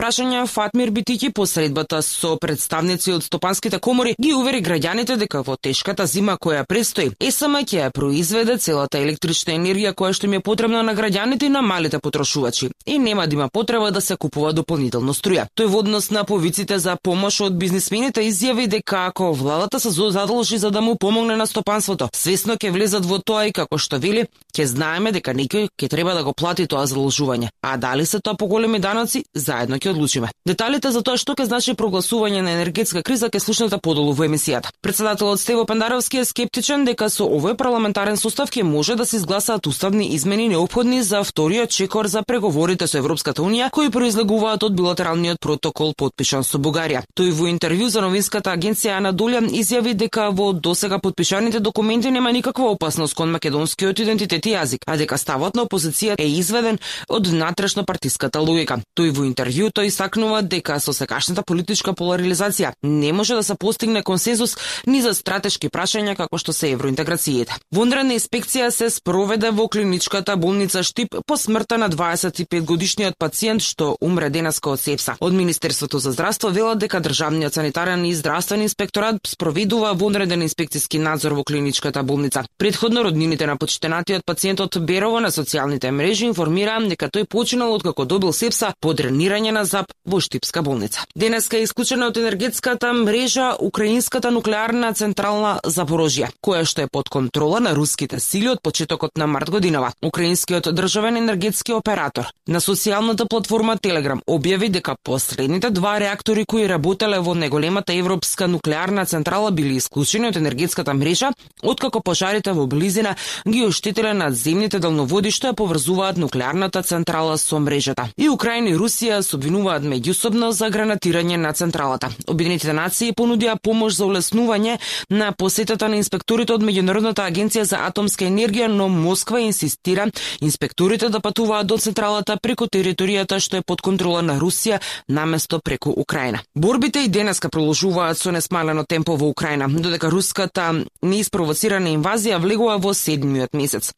прашања Фатмир Битики по средбата со представници од стопанските комори ги увери граѓаните дека во тешката зима која предстои, ЕСМ ќе ја произведе целата електрична енергија која што им е потребна на граѓаните и на малите потрошувачи и нема да има потреба да се купува дополнително струја. Тој во однос на повиците за помош од бизнисмените изјави дека ако владата се задолжи за да му помогне на стопанството, свесно ќе влезат во тоа и како што вели, ќе знаеме дека некој ќе треба да го плати тоа задолжување. А дали се тоа поголеми даноци, заедно ќе одлучиме. Деталите за тоа што ќе значи прогласување на енергетска криза ќе слушнете подолу во емисијата. Председателот Стево Пендаровски е скептичен дека со овој парламентарен состав ќе може да се изгласаат уставни измени неопходни за вториот чекор за преговорите со Европската унија кои произлегуваат од билатералниот протокол подпишан со Бугарија. Тој во интервју за новинската агенција Анадолија изјави дека во досега подпишаните документи нема никаква опасност кон македонскиот идентитет и јазик, а дека ставот на опозиција е изведен од внатрешно партиската логика. Тој во интервјуто истакнува дека со сегашната политичка поларизација не може да се постигне консензус ни за стратешки прашања како што се евроинтеграциите. Вонредна инспекција се спроведе во клиничката болница Штип по смртта на 25-годишниот пациент што умре денеска од сепса. Од Министерството за здравство велат дека државниот санитарен и здравствен инспекторат спроведува вонреден инспекциски надзор во клиничката болница. Претходно роднините на почитенатиот пациентот Берово на социјалните мрежи информираа дека тој починал откако добил сепса по дренирање на ЗАП во Штипска болница. Денеска е исклучена од енергетската мрежа украинската нуклеарна централа Запорожје, која што е под контрола на руските сили од почетокот на март годинава. Украинскиот државен енергетски оператор на социјалната платформа Телеграм објави дека последните два реактори кои работеле во најголемата европска нуклеарна централа били исклучени од енергетската мрежа, откако пожарите во близина ги оштетиле надземните далноводи што ја поврзуваат нуклеарната централа со мрежата. И Украина и Русија се обвинуваат меѓусобно за гранатирање на централата. Обединетите нации понудија помош за улеснување на посетата на инспекторите од Меѓународната агенција за атомска енергија, но Москва инсистира инспекторите да патуваат до централата преку територијата што е под контрола на Русија наместо преку Украина. Борбите и денеска продолжуваат со несмалено темпо во Украина, додека руската неиспровоцирана инвазија влегува во 7-миот месец.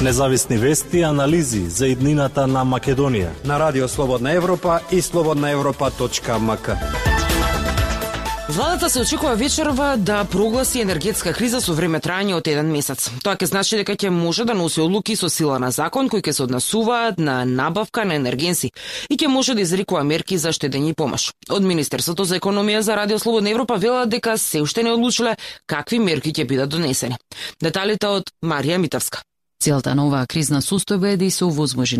Независни вести и анализи за иднината на Македонија на Радио Слободна Европа и slobodnaevropa.mk. Владата се очекува вечерва да прогласи енергетска криза со време трајање од 1 месец. Тоа ќе значи дека ќе може да носи одлуки со сила на закон кои ќе се однесуваат на набавка на енергенси и ќе може да изрекува мерки за штедење и помош. Од Министерството за економија за Радио Слободна Европа велат дека се уште не одлучиле какви мерки ќе бидат донесени. Деталите од Марија Митевска. Целта на оваа кризна состојба е да се овозможи